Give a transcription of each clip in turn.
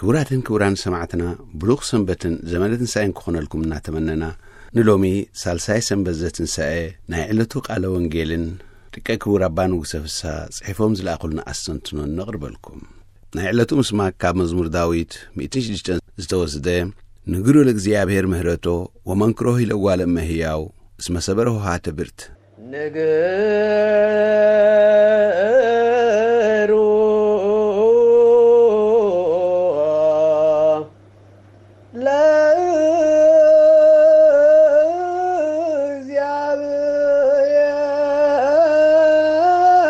ክቡራትን ክቡራን ሰማዕትና፣ ብሩኽ ሰንበትን ዘመነ ትንሳኤን ክኾነልኩም እናተመነና፣ ንሎሚ ሳልሳይ ሰንበት ዘትንሳኤ ናይ ዕለቱ ቃለ ወንጌልን ደቀ ክቡር ኣባ ንጉሰ ፍስሓ ጽሒፎም ዝለኣኹልና ኣስተንትኖ ነቕርበልኩም። ናይ ዕለቱ ምስማክ ካብ መዝሙር ዳዊት ሚእትን ሽዱሽተን ዝተወስደ፣ ንግሩ ለእግዚኣብሔር ምህረቶ ወመንክሮ ሂለጓለ እመህያው እስመ ሰበረ ሆሃተ ብርት። ንግሩ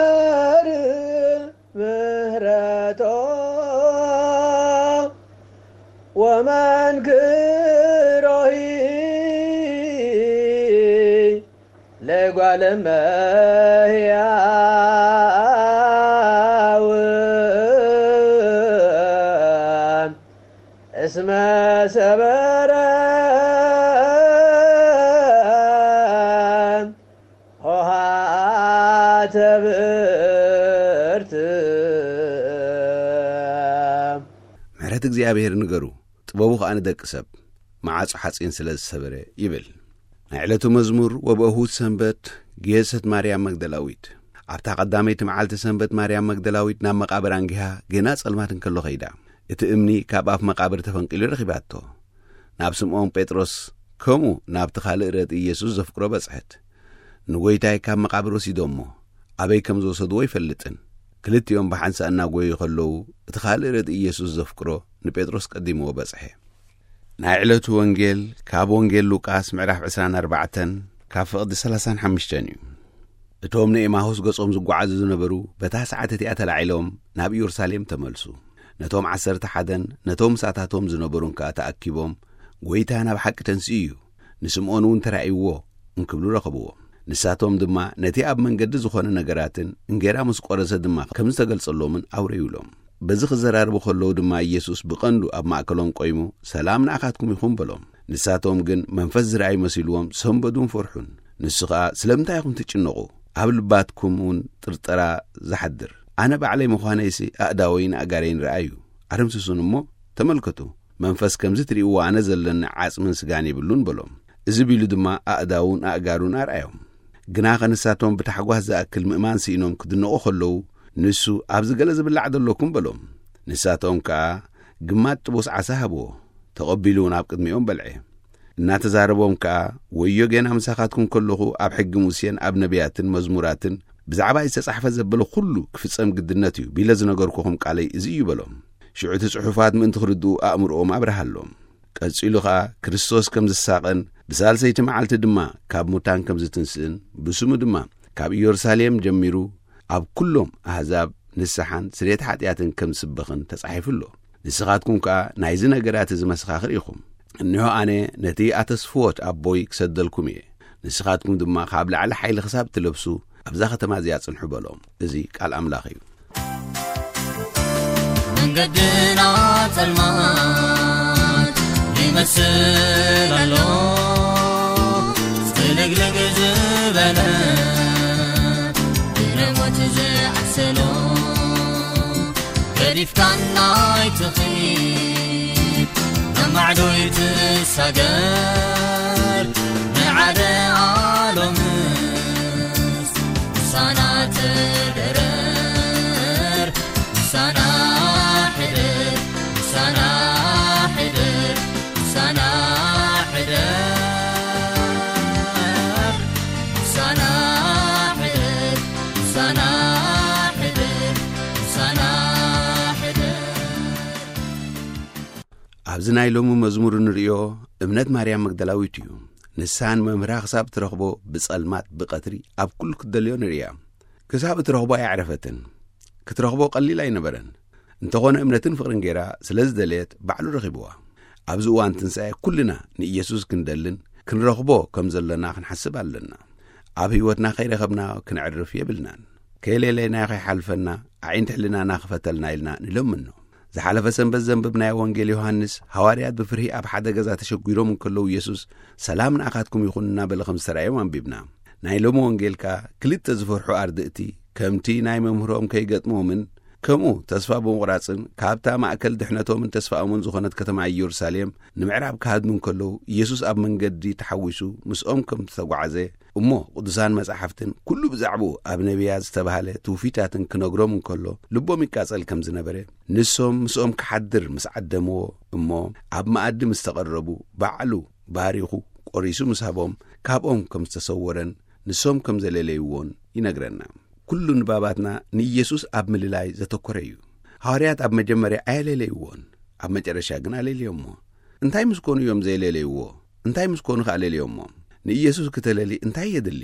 ለእግዚኣብሔር ምህረቶ ወመንክሮሂ ለጓለ እመሕያው እስመ ሰበረ ሆሃተ ብርት። ምሕረት እግዚኣብሔር ንገሩ፣ ጥበቡ ኸኣ ንደቂ ሰብ፣ መዓጹ ሓጺን ስለ ዝሰበረ ይብል። ናይ ዕለቱ መዝሙር ወበእሁድ ሰንበት፣ ግየሰት ማርያም መግደላዊት። ኣብታ ቀዳመይቲ መዓልቲ ሰንበት ማርያም መግደላዊት ናብ መቓብር ኣንጊሃ፣ ጌና ጸልማት እንከሎ ኸይዳ። እቲ እምኒ ካብ ኣፍ መቓብር ተፈንቂሉ ረኺባቶ። ናብ ስምዖን ጴጥሮስ፣ ከምኡ ናብቲ ካልእ ረድኢ ኢየሱስ ዘፍቅሮ በጽሐት። ንጎይታይ ካብ መቓብር ወሲዶሞ፣ ኣበይ ከም ዝወሰድዎ ኣይፈልጥን። ክልቲኦም ብሓንሳእ እናጎዩ ከለዉ፣ እቲ ካልእ ረድኢ ኢየሱስ ዘፍቅሮ ንጴጥሮስ ቀዲምዎ በጽሐ። ናይ ዕለቱ ወንጌል ካብ ወንጌል ሉቃስ ምዕራፍ ዕስራን ኣርባዕተን ካብ ፍቕዲ ሰላሳን ሓሙሽተን እዩ። እቶም ንኤማሁስ ገጾም ዝጓዓዙ ዝነበሩ በታ ሰዓት እቲኣ ተላዒሎም ናብ ኢየሩሳሌም ተመልሱ። ነቶም ዓሰርተ ሓደን ነቶም ምሳታቶም ዝነበሩን ከኣ ተኣኪቦም፣ "ጐይታ ናብ ሓቂ ተንሲኡ እዩ፣ ንስምዖን እውን ተራእይዎ" እንክብሉ ረኸብዎ። ንሳቶም ድማ ነቲ ኣብ መንገዲ ዝኾነ ነገራትን እንጌራ ምስ ቆረሰ ድማ ከም ዝተገልጸሎምን ኣውረዩሎም። በዚ ክዘራረቡ ከለዉ ድማ ኢየሱስ ብቐንዱ ኣብ ማእከሎም ቆይሙ፣ "ሰላም ንኣኻትኩም ይኹን" በሎም። ንሳቶም ግን መንፈስ ዝረኣዩ መሲልዎም ሰንበዱን ፈርሑን። ንሱ ኸኣ፣ "ስለምንታይ ኢኹም ትጭነቑ? ኣብ ልባትኩም እውን ጥርጠራ ዝሓድር? ኣነ ባዕለይ ምዃነይሲ ኣእዳወይን ኣእጋረይን ረኣዩ። ኣደምስሱን እሞ ተመልከቱ። መንፈስ ከምዚ ትርእይዎ ኣነ ዘለኒ ዓጽምን ስጋን የብሉን" በሎም። እዚ ቢሉ ድማ ኣእዳውን ኣእጋሩን ኣርኣዮም። ግናኸ ንሳቶም ብታሕጓስ ዝኣክል ምእማን ስኢኖም ክድነቑ ከለዉ፣ ንሱ፣ "ኣብዚ ገለ ዝብላዕ ዶ ኣለኩም?" በሎም። ንሳቶም ከኣ ግማት ጥቡስ ዓሳ ሃብዎ። ተቐቢሉ እውን ኣብ ቅድሚኦም በልዐ። እናተዛረቦም ከኣ፣ "ወዮ ጌና ምሳኻትኩም ከለኹ ኣብ ሕጊ ሙሴን ኣብ ነቢያትን መዝሙራትን ብዛዕባ ዝተጻሕፈ ዘበለ ኩሉ ክፍጸም ግድነት እዩ ቢለ ዝነገርኩኹም ቃለይ እዚ እዩ" በሎም። ሽዑ እቲ ጽሑፋት ምእንቲ ክርድኡ ኣእምሮኦም ኣብርሃሎም። ቀጺሉ ኸኣ ክርስቶስ ከም ዝሳቐን ብሳልሰይቲ መዓልቲ ድማ ካብ ሙታን ከም ዝትንስእን ብስሙ ድማ ካብ ኢየሩሳሌም ጀሚሩ ኣብ ኩሎም ኣህዛብ ንስሓን ስርየት ሓጢኣትን ከም ዝስበኽን ተጻሒፉ ኣሎ። ንስኻትኩም ከኣ ናይዚ ነገራት እዚ መሰኻኽር ኢኹም። እንሆ ኣነ ነቲ ኣተስፍዎት ኣቦይ ክሰደልኩም እየ። ንስኻትኩም ድማ ካብ ላዕሊ ሓይሊ ክሳብ ትለብሱ ኣብዛ ከተማ እዚኣ ጽንሑ በሎም። እዚ ቃል ኣምላኽ እዩ። መንገድና ጸልማት ይመስል ኣሎ፣ ጽልግልግ ዝበለ ብነሞት ዝዓሰሎ። ገዲፍካና ኣይትኺድ፣ ናብ ማዕዶ ኣይትሳገር፣ ንዓደ ኣሎምስ ምሳና ተደረር፣ ምሳና ሕደር፣ ምሳና ሕደር፣ ምሳና ሕደር፣ ምሳና ሕደር፣ ምሳና ሕደር፣ ምሳና ሕደር። ኣብዚ ናይ ሎሚ መዝሙር እንርእዮ እምነት ማርያም መግደላዊት እዩ። ንሳ ንመምህራ ክሳብ ትረኽቦ ብጸልማት ብቐትሪ ኣብ ኩሉ ክትደልዮ ንርእያ። ክሳብ እትረኽቦ ኣየዕረፈትን። ክትረኽቦ ቀሊል ኣይነበረን። እንተኾነ እምነትን ፍቕርን ገይራ ስለ ዝደለየት ባዕሉ ረኺብዋ። ኣብዚ እዋን ትንሳኤ ኩልና ንኢየሱስ ክንደልን ክንረኽቦ ከም ዘለና ክንሓስብ ኣለና። ኣብ ህይወትና ከይረኸብና ክንዕርፍ የብልናን። ከይሌለይናዮ ከይሓልፈና ኣዒንቲ ሕልናና ክፈተልና ኢልና ንለምኖ። ዝሓለፈ ሰንበት ዘንበብናዮ ወንጌል ዮሃንስ፣ ሃዋርያት ብፍርሂ ኣብ ሓደ ገዛ ተሸጒሮም እንከለዉ፣ ኢየሱስ፣ "ሰላም ንኣኻትኩም ይኹን" እናበለ ከም ዝተራእዮም ኣንቢብና። ናይ ሎሚ ወንጌል ከኣ ክልተ ዝፈርሑ ኣርድእቲ፣ ከምቲ ናይ መምህሮም ከይገጥሞምን ከምኡ ተስፋ ብምቑራጽን ካብታ ማእከል ድሕነቶምን ተስፋኦምን ዝኾነት ከተማ ኢየሩሳሌም ንምዕራብ ክሃድሙ እንከለዉ፣ ኢየሱስ ኣብ መንገዲ ተሓዊሱ ምስኦም ከም ዝተጓዕዘ፣ እሞ ቅዱሳን መጻሕፍትን ኩሉ ብዛዕባኡ ኣብ ነቢያት ዝተባህለ ትውፊታትን ክነግሮም እንከሎ፣ ልቦም ይቃጸል ከም ዝነበረ፣ ንሶም ምስኦም ክሓድር ምስ ዓደምዎ፣ እሞ ኣብ መኣዲ ምስ ተቐረቡ፣ ባዕሉ ባሪኹ ቆሪሱ ምስ ሃቦም፣ ካብኦም ከም ዝተሰወረን ንሶም ከም ዘለለይዎን ይነግረና። ኩሉ ንባባትና ንኢየሱስ ኣብ ምልላይ ዘተኮረ እዩ። ሃዋርያት ኣብ መጀመርያ ኣየለለይዎን፣ ኣብ መጨረሻ ግን ኣለልዮሞ። እንታይ ምስ ኮኑ እዮም ዘየለለይዎ? እንታይ ምስ ኮኑ ከኣ ለልዮሞ? ንኢየሱስ ክተለሊ እንታይ የድሊ?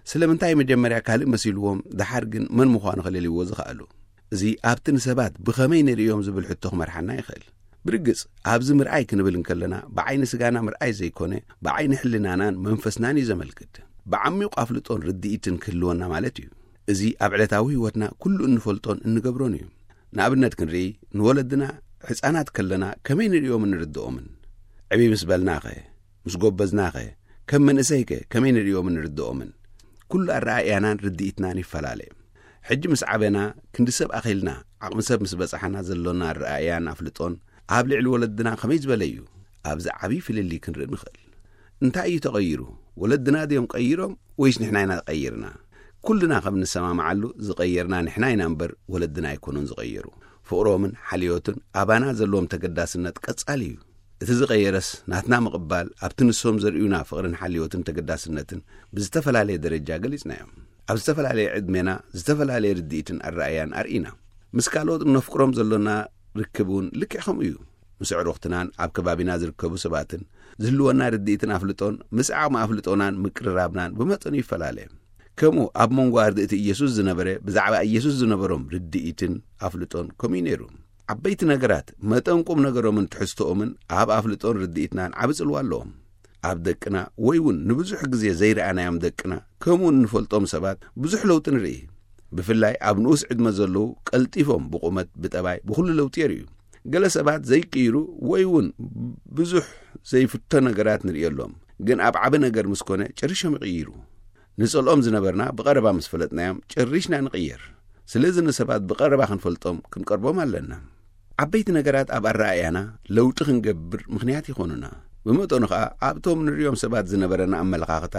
ስለምንታይ መጀመርያ ካልእ መሲልዎም፣ ደሓር ግን መን ምዃኑ ከለልይዎ ዝኸኣሉ? እዚ ኣብቲ ንሰባት ብኸመይ ንርእዮም ዝብል ሕቶ ክመርሓና ይኽእል። ብርግጽ፣ ኣብዚ ምርኣይ ክንብል እንከለና፣ ብዓይኒ ስጋና ምርኣይ ዘይኮነ፣ ብዓይኒ ሕልናናን መንፈስናን እዩ ዘመልክት። ብዓሚቕ ኣፍልጦን ርድኢትን ክህልወና ማለት እዩ። እዚ ኣብ ዕለታዊ ህይወትና ኩሉ እንፈልጦን እንገብሮን እዩ። ንኣብነት ክንርኢ፣ ንወለድና ሕፃናት ከለና ከመይ ንርእዮምን ንርድኦምን? ዕብይ ምስ በልናኸ? ምስ ጎበዝናኸ? ከም መንእሰይከ ከመይ ንርእዮምን ንርድኦምን? ኩሉ ኣረኣእያናን ርድኢትናን ይፈላለ። ሕጂ ምስ ዓበና፣ ክንዲ ሰብ ኣኺልና፣ ዓቕሚ ሰብ ምስ በጻሕና ዘሎና ኣረኣእያን ኣፍልጦን ኣብ ልዕሊ ወለድና ከመይ ዝበለ እዩ? ኣብዚ ዓብዪ ፍልልይ ክንርኢ ንኽእል። እንታይ እዩ ተቐይሩ? ወለድና ድዮም ቀይሮም ወይስ ንሕና ኢና ቀይርና? ኩልና ከም ንሰማምዓሉ ዝቐየርና ንሕና ኢና እምበር ወለድና ኣይኮኑን ዝቐየሩ። ፍቕሮምን ሓልዮትን ኣባና ዘለዎም ተገዳስነት ቀጻሊ እዩ። እቲ ዝቐየረስ ናትና ምቕባል ኣብቲ ንሶም ዘርእዩና ፍቕርን ሓልዮትን ተገዳስነትን ብዝተፈላለየ ደረጃ ገሊጽናዮም። ኣብ ዝተፈላለየ ዕድሜና ዝተፈላለየ ርድኢትን ኣረኣያን ኣርኢና። ምስ ካልኦት እነፍቅሮም ዘሎና ርክብ እውን ልክዕ ከምኡ እዩ። ምስ ኣዕሩኽትናን ኣብ ከባቢና ዝርከቡ ሰባትን ዝህልወና ርድኢትን ኣፍልጦን ምስ ዓቕሚ ኣፍልጦናን ምቅርራብናን ብመጠኑ ይፈላለ። ከምኡ ኣብ መንጎ ኣርድእቲ ኢየሱስ ዝነበረ ብዛዕባ ኢየሱስ ዝነበሮም ርድኢትን ኣፍልጦን ከምኡ እዩ ነይሩ። ዓበይቲ ነገራት መጠን ቁም ነገሮምን ትሕዝቶኦምን ኣብ ኣፍልጦን ርድኢትናን ዓቢ ጽልዋ ኣለዎም። ኣብ ደቅና ወይ እውን ንብዙሕ ግዜ ዘይረኣናዮም ደቅና ከምኡ እንፈልጦም ሰባት ብዙሕ ለውጢ ንርኢ። ብፍላይ ኣብ ንኡስ ዕድመ ዘለዉ ቀልጢፎም ብቑመት፣ ብጠባይ፣ ብኹሉ ለውጢ የርእዩ። ገለ ሰባት ዘይቅይሩ ወይ እውን ብዙሕ ዘይፍቶ ነገራት ንርእየሎም፣ ግን ኣብ ዓቢ ነገር ምስ ኮነ ጨሪሾም ይቕይሩ። ንጸልኦም ዝነበርና ብቐረባ ምስ ፈለጥናዮም ጨሪሽና ንቕየር። ስለዚ ንሰባት ብቐረባ ክንፈልጦም ክንቀርቦም ኣለና። ዓበይቲ ነገራት ኣብ ኣረኣእያና ለውጢ ክንገብር ምኽንያት ይኾኑና። ብመጠኑ ኸኣ ኣብቶም ንርእዮም ሰባት ዝነበረና ኣመለኻኽታ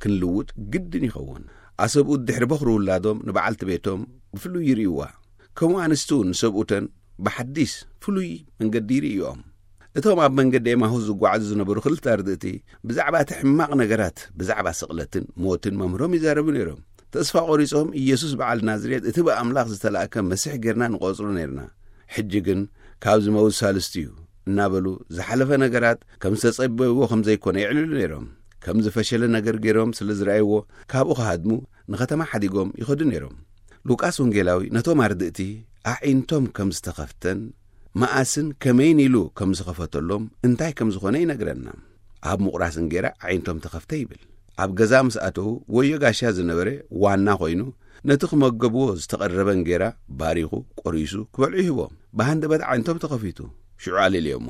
ክንልውጥ ግድን ይኸውን። ኣሰብኡት ድሕሪ በኹሪ ውላዶም ንበዓልቲ ቤቶም ብፍሉይ ይርእይዋ። ከምኡ ኣንስቲ እውን ንሰብኡተን ብሓዲስ ፍሉይ መንገዲ ይርእይኦም። እቶም ኣብ መንገዲ ኤማሁስ ዝጓዓዙ ዝነበሩ ክልተ ኣርድእቲ ብዛዕባ እቲ ሕማቕ ነገራት፣ ብዛዕባ ስቕለትን ሞትን መምህሮም ይዛረቡ ነይሮም። ተስፋ ቆሪጾም፣ "ኢየሱስ በዓል ናዝሬት፣ እቲ ብኣምላኽ ዝተላእከ መሲሕ ጌርና ንቖጽሮ ነይርና። ሕጂ ግን ካብ ዝመውት ሳልስቲ እዩ" እናበሉ ዝሓለፈ ነገራት ከም ዝተጸበይዎ ከም ዘይኮነ የዕልሉ ነይሮም። ከም ዝፈሸለ ነገር ገይሮም ስለ ዝረኣይዎ ካብኡ ክሃድሙ ንኸተማ ሓዲጎም ይኸዱ ነይሮም። ሉቃስ ወንጌላዊ ነቶም ኣርድእቲ ኣዒንቶም ከም ዝተኸፍተን መኣስን ከመይን ኢሉ ከም ዝኸፈተሎም እንታይ ከም ዝኾነ ይነግረና። ኣብ ምቑራስ እንጌራ ኣዒንቶም ተኸፍተ ይብል። ኣብ ገዛ ምስ ኣተዉ ወዮ ጋሻ ዝነበረ ዋና ኮይኑ ነቲ ክመገብዎ ዝተቐረበ እንጌራ ባሪኹ ቆሪሱ ክበልዑ ይህቦም። ብሃንደበት ኣዒንቶም ተኸፊቱ ሽዑ ኣለልዮሞ።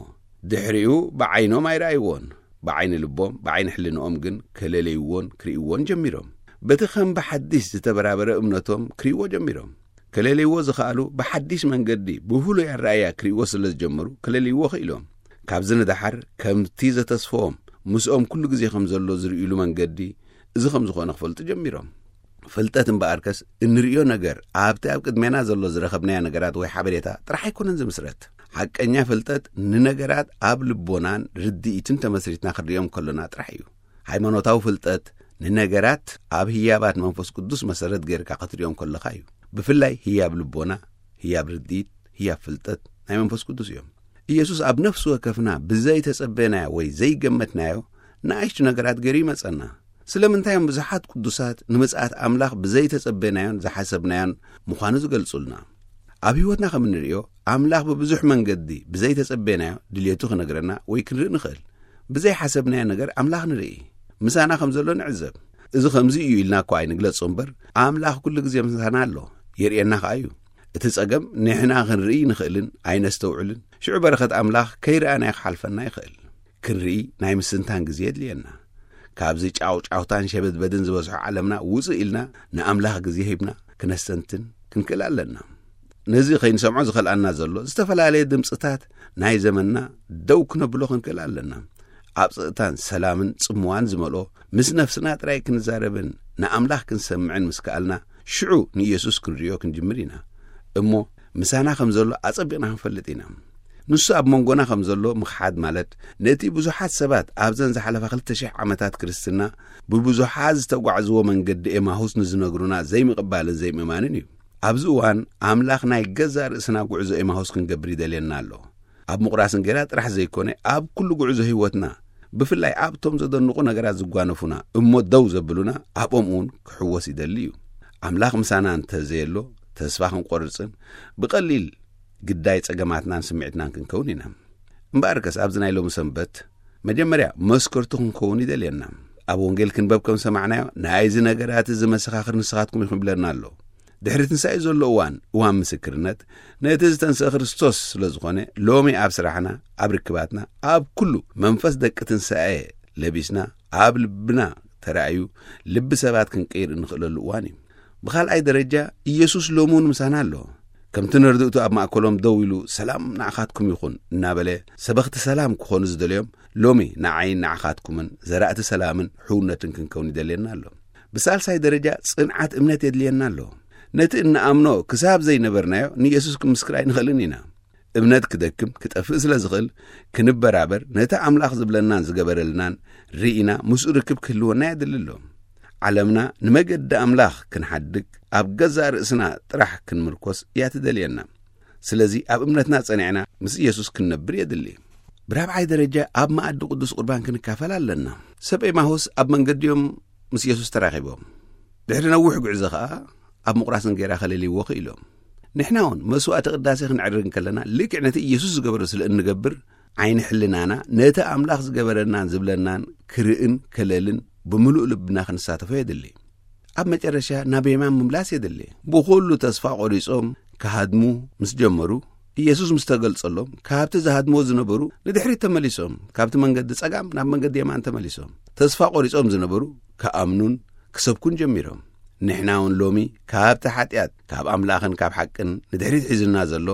ድሕሪኡ ብዓይኖም ኣይረኣይዎን። ብዓይኒ ልቦም ብዓይኒ ሕልንኦም ግን ከለለይዎን ክርእይዎን ጀሚሮም። በቲ ከም ብሓዲስ ዝተበራበረ እምነቶም ክርእይዎ ጀሚሮም። ከለልይዎ ዝኸኣሉ ብሓዲስ መንገዲ ብፍሉይ ኣረኣያ ክርእይዎ ስለ ዝጀመሩ ከለልይዎ ክኢሎም። ካብዚ ንደሓር ከምቲ ዘተስፈዎም ምስኦም ኩሉ ግዜ ከም ዘሎ ዝርእይሉ መንገዲ እዚ ከም ዝኾነ ክፈልጡ ጀሚሮም። ፍልጠት እምበኣርከስ እንርእዮ ነገር ኣብቲ ኣብ ቅድሜና ዘሎ ዝረኸብናዮ ነገራት ወይ ሓበሬታ ጥራሕ ኣይኮነን ዝምስረት። ሓቀኛ ፍልጠት ንነገራት ኣብ ልቦናን ርድኢትን ተመስሪትና ክንርእዮም ከሎና ጥራሕ እዩ። ሃይማኖታዊ ፍልጠት ንነገራት ኣብ ህያባት መንፈስ ቅዱስ መሰረት ጌርካ ክትርእዮም ከለኻ እዩ። ብፍላይ ህያብ ልቦና፣ ህያብ ርድኢት፣ ህያብ ፍልጠት ናይ መንፈስ ቅዱስ እዮም። ኢየሱስ ኣብ ነፍሲ ወከፍና ብዘይ ተጸበናዮ ወይ ዘይገመትናዮ ንኣሽቱ ነገራት ገይሩ ይመጸና። ስለምንታይ እዮም ብዙሓት ቅዱሳት ንምጽኣት ኣምላኽ ብዘይ ተጸበናዮን ዝሓሰብናዮን ምዃኑ ዝገልጹልና? ኣብ ህይወትና ከም እንርእዮ፣ ኣምላኽ ብብዙሕ መንገዲ ብዘይ ተጸበናዮ ድልየቱ ክነግረና ወይ ክንርኢ ንኽእል። ብዘይ ሓሰብናዮ ነገር ኣምላኽ ንርኢ። ምሳና ከም ዘሎ ንዕዘብ። እዚ ከምዚ እዩ ኢልና እኳ ኣይንግለጾ እምበር፣ ኣምላኽ ኩሉ ግዜ ምሳና ኣሎ፣ የርእየና ከኣ እዩ። እቲ ጸገም ንሕና ክንርኢ ንኽእልን ኣይነስተውዕልን። ሽዑ በረኸት ኣምላኽ ከይረኣናዮ ክሓልፈና ይኽእል። ክንርኢ ናይ ምስንታን ግዜ የድልየና። ካብዚ ጫውጫውታን ሸበድበድን ዝበዝሖ ዓለምና ውጽእ ኢልና ንኣምላኽ ግዜ ሂብና ክነስተንትን ክንክእል ኣለና። ነዚ ከይንሰምዖ ዝኸልኣና ዘሎ ዝተፈላለየ ድምፅታት ናይ ዘመንና ደው ክነብሎ ክንክእል ኣለና። ኣብ ፀጥታን ሰላምን ጽምዋን ዝመልኦ፣ ምስ ነፍስና ጥራይ ክንዛረብን ንኣምላኽ ክንሰምዕን ምስ ከኣልና፣ ሽዑ ንኢየሱስ ክንርእዮ ክንጅምር ኢና። እሞ ምሳና ከም ዘሎ ኣጸቢቕና ክንፈልጥ ኢና። ንሱ ኣብ መንጎና ከም ዘሎ ምኽሓድ ማለት፣ ነቲ ብዙሓት ሰባት ኣብዘን ዝሓለፋ ክልተ ሽሕ ዓመታት ክርስትና ብብዙሓት ዝተጓዕዝዎ መንገዲ ኤማሁስ ንዝነግሩና ዘይምቕባልን ዘይምእማንን እዩ። ኣብዚ እዋን ኣምላኽ ናይ ገዛእ ርእስና ጉዕዞ ኤማሁስ ክንገብር ይደልየና ኣሎ። ኣብ ምቑራስ እንጌራ ጥራሕ ዘይኮነ፣ ኣብ ኩሉ ጉዕዞ ህይወትና፣ ብፍላይ ኣብቶም ዘደንቑ ነገራት ዝጓነፉና እሞ ደው ዘብሉና፣ ኣብኦም እውን ክሕወስ ይደሊ እዩ። ኣምላኽ ምሳና እንተ ዘየሎ፣ ተስፋ ክንቆርጽን ብቐሊል ግዳይ ጸገማትናን ስምዒትናን ክንከውን ኢና። እምበኣርከስ ኣብዚ ናይ ሎሚ ሰንበት መጀመርያ መስከርቱ ክንከውን ይደልየና። ኣብ ወንጌል ክንበብ ከም ሰማዕናዮ፣ ናይዚ ነገራት እዚ መሰኻኽር ንስኻትኩም ኢኹም ይብለና ኣሎ። ድሕሪ ትንሳኤ ዘሎ እዋን፣ እዋን ምስክርነት፣ ነቲ ዝተንስአ ክርስቶስ ስለ ዝኾነ፣ ሎሚ ኣብ ስራሕና፣ ኣብ ርክባትና፣ ኣብ ኩሉ መንፈስ ደቂ ትንሳኤ ለቢስና፣ ኣብ ልብና ተራእዩ፣ ልቢ ሰባት ክንቅይር እንኽእለሉ እዋን እዩ። ብኻልኣይ ደረጃ፣ ኢየሱስ ሎሚ እውን ምሳና ኣሎ። ከምቲ ነርድእቱ ኣብ ማእከሎም ደው ኢሉ፣ "ሰላም ንዓኻትኩም ይኹን" እናበለ፣ ሰበኽቲ ሰላም ክኾኑ ዝደልዮም፣ ሎሚ ንዓይን ንዓኻትኩምን ዘራእቲ ሰላምን ሕውነትን ክንከውን ይደልየና ኣሎ። ብሳልሳይ ደረጃ፣ ጽንዓት እምነት የድልየና ኣሎ። ነቲ እንኣምኖ ክሳብ ዘይነበርናዮ ንየሱስ ክንምስክር ኣይንኽእልን ኢና። እምነት ክደክም፣ ክጠፍእ ስለ ዝኽእል፣ ክንበራበር፣ ነቲ ኣምላኽ ዝብለናን ዝገበረልናን ርኢና ምስኡ ርክብ ክህልወና የድሊ ኣሎ። ዓለምና ንመገዲ ኣምላኽ ክንሓድግ፣ ኣብ ገዛእ ርእስና ጥራሕ ክንምርኮስ እያ ትደልየና። ስለዚ ኣብ እምነትና ጸኒዕና ምስ ኢየሱስ ክንነብር የድሊ። ብራብዓይ ደረጃ ኣብ መኣዲ ቅዱስ ቁርባን ክንካፈል ኣለና። ሰብ ኤማሁስ ኣብ መንገዲኦም ምስ ኢየሱስ ተራኺቦም። ድሕሪ ነዊሕ ጉዕዞ ኸኣ ኣብ ምቑራስ እንጌራ ከለልይዎ ክኢሎም። ንሕና እውን መስዋዕቲ ቅዳሴ ክንዕርግ እንከለና ልክዕ ነቲ ኢየሱስ ዝገበሮ ስለ እንገብር ዓይኒ ሕልናና ነቲ ኣምላኽ ዝገበረናን ዝብለናን ክርእን ከለልን ብምሉእ ልብና ክንሳተፎ የድሊ። ኣብ መጨረሻ ናብ የማን ምምላስ የድሊ። ብኹሉ ተስፋ ቆሪጾም ክሃድሙ ምስ ጀመሩ፣ ኢየሱስ ምስ ተገልጸሎም፣ ካብቲ ዝሃድሞ ዝነበሩ ንድሕሪት ተመሊሶም፣ ካብቲ መንገዲ ጸጋም ናብ መንገዲ የማን ተመሊሶም። ተስፋ ቆሪጾም ዝነበሩ ክኣምኑን ክሰብኩን ጀሚሮም። ንሕና እውን ሎሚ ካብቲ ሓጢኣት፣ ካብ ኣምላኽን ካብ ሓቅን ንድሕሪት ሒዙና ዘሎ፣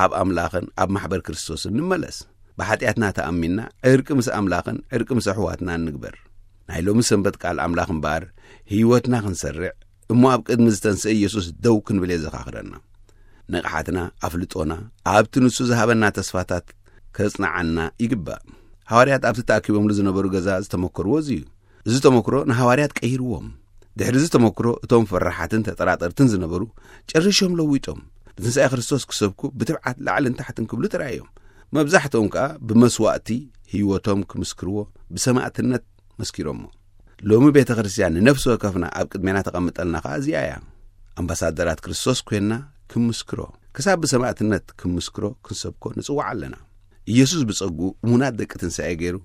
ኣብ ኣምላኽን ኣብ ማሕበር ክርስቶስን ንመለስ። ብሓጢኣትና ተኣሚንና ዕርቂ ምስ ኣምላኽን ዕርቂ ምስ ኣሕዋትናን ንግበር። ናይ ሎሚ ሰንበት ቃል ኣምላኽ እምበኣር፣ ህይወትና ክንሰርዕ እሞ ኣብ ቅድሚ ዝተንስአ ኢየሱስ ደው ክንብል የዘኻኽረና። ንቕሓትና፣ ኣፍልጦና፣ ኣብቲ ንሱ ዝሃበና ተስፋታት ከጽንዓና ይግባእ። ሃዋርያት ኣብቲ ተኣኪቦምሉ ዝነበሩ ገዛ ዝተመከርዎ እዚ እዩ። እዚ ተመክሮ ንሃዋርያት ቀይርዎም። ድሕሪ እዚ ተመክሮ፣ እቶም ፈራሓትን ተጠራጠርትን ዝነበሩ ጨሪሾም ለዊጦም፣ ንትንሳኤ ክርስቶስ ክሰብኩ ብትብዓት ላዕልን ታሕትን ክብሉ ጥራይ እዮም። መብዛሕትኦም ከኣ ብመስዋእቲ ህይወቶም ክምስክርዎ ብሰማእትነት መስኪሮሞ። ሎሚ ቤተ ክርስቲያን ንነፍሲ ወከፍና ኣብ ቅድሜና ተቐምጠልና ከኣ እዚኣ እያ። ኣምባሳደራት ክርስቶስ ኮይንና ክምስክሮ፣ ክሳብ ብሰማእትነት ክምስክሮ ክንሰብኮ ንጽዋዕ ኣለና። ኢየሱስ ብጸጉ እሙናት ደቂ ትንሳኤ ገይሩ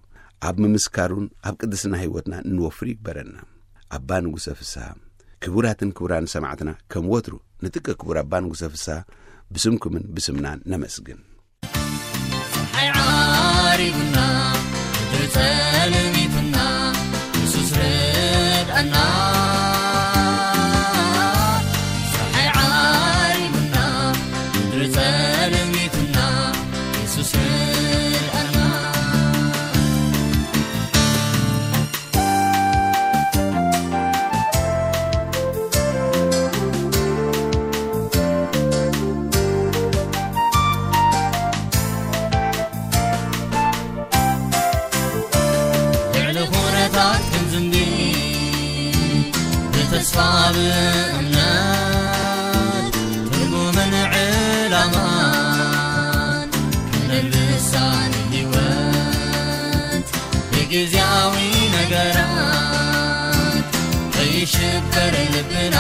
ኣብ ምምስካሩን ኣብ ቅድስና ህይወትና እንወፍር ይግበረና። ኣባ ንጉሰ ፍስሃ። ክቡራትን ክቡራን ሰማዕትና፣ ከም ወትሩ ንጥቀ ክቡር ኣባ ንጉሰ ፍስሃ ብስምኩምን ብስምናን ነመስግን። ፀሓይ ዓሪቡና፣ ምድሪ ጸልሚቱና፣ የሱስ ርድኣና። ፀሓይ ዓሪቡና፣ ምድሪ ጸልሚቱና፣ የሱስ ርድኣና። ልዕሊ ኩነታት ክንዝንቢ፣ ብተስፋ ብእምነት፣ ትርጉምን ዕላማን ክነልብሳ ንህይወት። ብግዝያዊ ነገራት ከይሽበር ልብና፣